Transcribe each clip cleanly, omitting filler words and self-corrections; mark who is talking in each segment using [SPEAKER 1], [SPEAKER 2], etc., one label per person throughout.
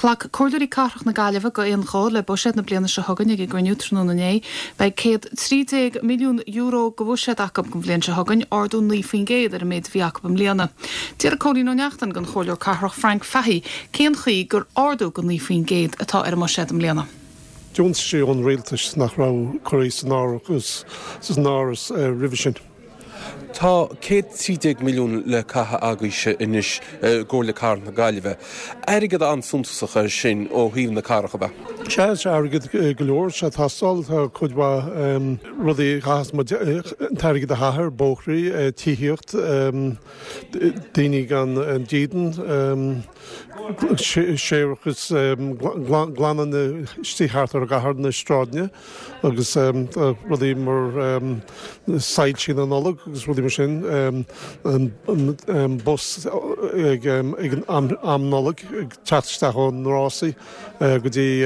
[SPEAKER 1] Ghlac Comhairleoirí Cathrach na Gaillimhe go aon ghuth le buiséad na bliana seo chugainn ag a gcruinniú tráthnóna inné. Beidh €113 milliún de bhuiséad acu don bhliain seo chugainn, ardú 9% ar an méid a bhí acu i mbliana. D'fhiafraigh Cóilín Ó Neachtain den Chomhairleoir Cathrach Frank Fahey cén chaoi gur ardú de 9% atá ar an mbuiséad i mbliana.
[SPEAKER 2] Deontaisí ón rialtas nach raibh curtha san áireamh roimhe sin.
[SPEAKER 3] Tá 113 milliún le caitheamh agaibhse anois i gComhairle Cathrach na Gaillimhe. Airgead an-suntasach é sin ó thaobh na cathrach, ab ea?
[SPEAKER 2] Sea, is airgead go leor atá ag teastáil. Tá cuid mhaith rudaí a chaithfeas muid an t-airgead a chaitheamh air, bóithrí, tithíocht, daoine gan dídean, séarachas, glanadh na istigh thart ar an gcathair, na sráideanna. agus rudaí mar soilsí na Nollag agus rudaí mar sin, an bus ag an am Nollag ag teacht isteach ó na rásaí go dtí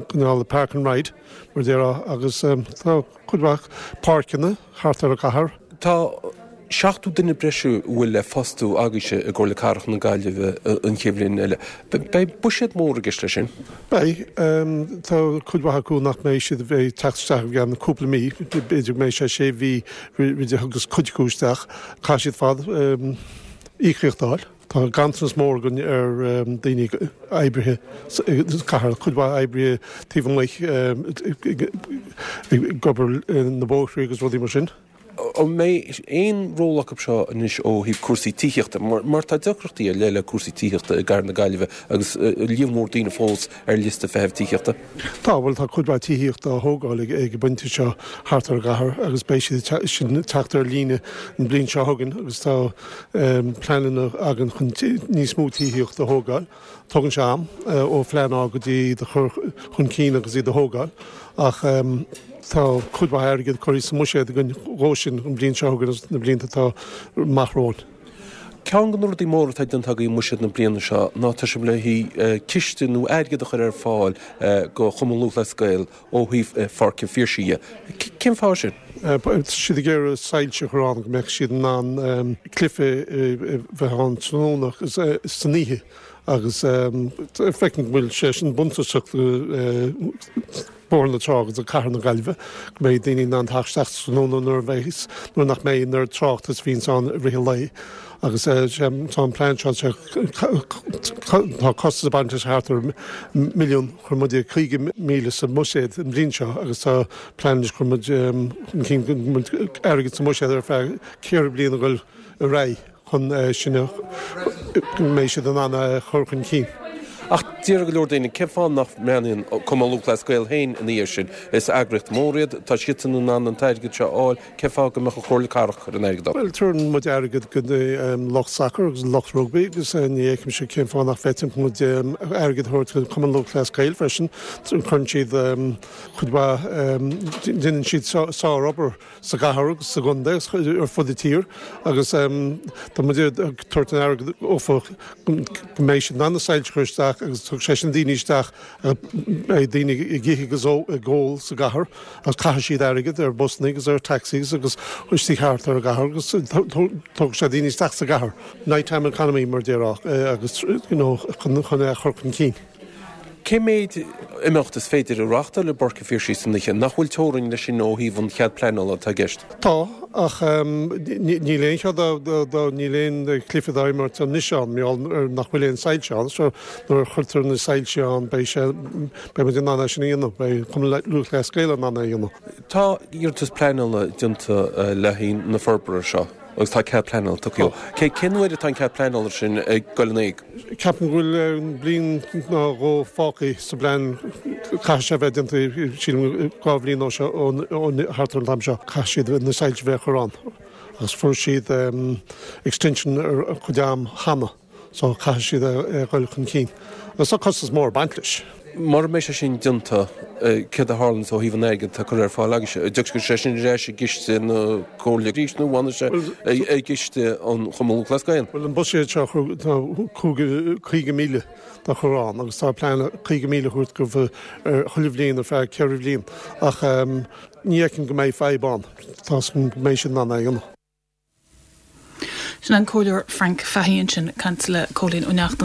[SPEAKER 2] cineál park and ride mar a déarfá agus tá cuid mhaith páirceanna thart ar an gcathair.
[SPEAKER 3] Tá 70 duine breise a bhfuil le fostú agaibhse i gComhairle Cathrach na Gaillimhe an chéad bhliain eile. Beidh buiséad mór i gceist leis sin.
[SPEAKER 2] Beidh. Tá cuid mhaith acu nach mbeidh siad ag teacht isteach i gceann cúpla mí, b'fhéidir go mbeidh sé sé mhí roimh a dtiocfas cuid acu isteach. Caithfidh siad fad íocaíocht a fháil. Tá ganntanas mór againn ar daoine, oibrithe sa chathair, cuid mhaith oibrithe taobh amuigh ag obair na bóithre agus rudaí mar sin.
[SPEAKER 3] An mbeidh aon ról acu seo anois ó thaobh cúrsaí tithíochta? Mar tá deacrachtaí ar leith le cúrsaí tithíochta i gcathair na Gaillimhe agus líon mór daoine fós ar liosta feithimh tithíochta.
[SPEAKER 2] Tá, bhuel tá cuid mhaith tithíochta á thógáil ag an bpointe seo thart ar an gcathair agus beidh siad sin ag teacht ar líne an bhliain seo chugainn agus tá pleananna againn chun níos mó tithíochta a thógáil. Tógann sé am ó phleanáil go dtí iad a chur chun cinn agus iad a thógáil ach tá cuid mhaith airgid curtha sa mbuiséad againn dhó sin an bhliain seo chugainn agus na blianta atá amach romhainn.
[SPEAKER 3] Ceann de na rudaí móra atá déanta agaibh i mbuiséad na bliana seo ná tá sibh le haghaidh ciste nó airgead a chur ar fáil go Chumann Lúthchleas Gael ó thaobh Pháirc an Phiarsaigh dhe. Cén fáth sin?
[SPEAKER 2] Tá siad ag iarraidh soilse a chur ann go mbeadh siad in ann cluiche a bheith ann tráthnóna agus san oíche agus feicim go bhfuil sé sin buntáisteach do Bhóthar na Trá agus do Cathair na Gaillimhe go mbeidh daoine in ann teacht isteach tráthnóna nuair a bheidh nuair nach mbeidh an oiread tráchta is a bhíonns ann i rith an lae. Agus tá an plean seo, tá costas ag baint leis thart ar mhilliún, chuir muid 50,000 sa mbuiséad an bhliain seo agus tá plean anois chuir muid chun cinn go mbeidh airgead sa mbuiséad ar feadh ceithre bliana a dhul ar aghaidh chun sin a, go mbeidh siad in ann é a chur chun cinn.
[SPEAKER 3] Ach déarfaidh go leor daoine, cén fáth nach mbreathnaíonn Cumann Lúthchleas Gael féin ina dhiaidh sin? Is eagraíocht mhór iad, tá siadsan in ann an t-airgead seo a fháil, Cén fáth go mbeadh an Chomhairle Cathrach ag cur an airgid ann?
[SPEAKER 2] Bhuel, tabharann muid airgead go lucht sacair agus lucht rugbaí agus ní fheicimse cén fáth nach bhféadfadh muid airgead a thabhairt go Cumann Lúthchleas Gael freisin. Cuireann siad cuid mhaith, déanann siad sár-obair sa gcathair agus sa gcontae agus ar fud na tíre agus tá muid ag tabhairt an airgead dhófa go mbeidh siad in ann na soilse a chur isteach agus tabharfaidh sé sin daoine isteach Beidh daoine ag ithe agus ag ól sa gcathair agus caithfidh siad airgead ar busanna agus ar taxis agus istigh thart ar an gcathair agus tógfaidh sé daoine isteach sa gcathair. Night time economy mar a déarfá agus you know chun é a chur chun cinn.
[SPEAKER 3] Cé mhéid imeacht is féidir a reáchtáil i bPáirc an Phiarsaigh san oíche? Nach bhfuil teorainn leis sin ó thaobh an chead pleanála atá i gceist?
[SPEAKER 2] Tá, ach níl aon chead dá, níl aon chluiche dá imirt anois ann, mar gheall ar nach bhfuil aon soilse ann so Nuair a chuirtear na soilse ann beidh sé, beidh muid in ann é sin a dhéanamh, beidh Cumann Lúthchleas Gael in ann é a dhéanamh.
[SPEAKER 3] Tá iarratas pleanála déanta le haghaidh na forbartha seo agus tá cead pleanála tugtha dó. Cén uair atá an cead pleanála sin ag dul in éag?
[SPEAKER 2] Ceapaim go bhfuil bliain nó dhó fágtha sa bplean. Caithfidh sé a bheith déanta, sílim, 2 bhliain ó seo, thart ar an t-am seo. Caithfidh siad na soilse a bheith á chur ann agus fuair siad extension ar chuid am cheana. So caithfidh siad é a dhul chun cinn. Agus tá costas mór ag baint leis.
[SPEAKER 3] Mura mbeidh sé sin déanta, céard a tharlaíonns ó thaobh an airgid atá curtha ar fáil agaibhse? An dtiocfaidh sé sin ar ais i gciste na Comhairle arís nó an bhfanfaidh sé i gciste an Chumann Lúthchleas Gael?
[SPEAKER 2] Bhuel, an buiséad seo, tá 50,000 dá chur ann agus tá plean 50,000 a thabhairt dóibh chuile bhliain ar feadh ceithre bhliain. Ach ní fheicim go mbeidh fadhb ann. Tá a fhios agam go mbeidh siad in ann é a dhéanamh.
[SPEAKER 1] Sin an Comhairleoir Frank Fahey ansin ag caint le Cóilín Ó Neachtain.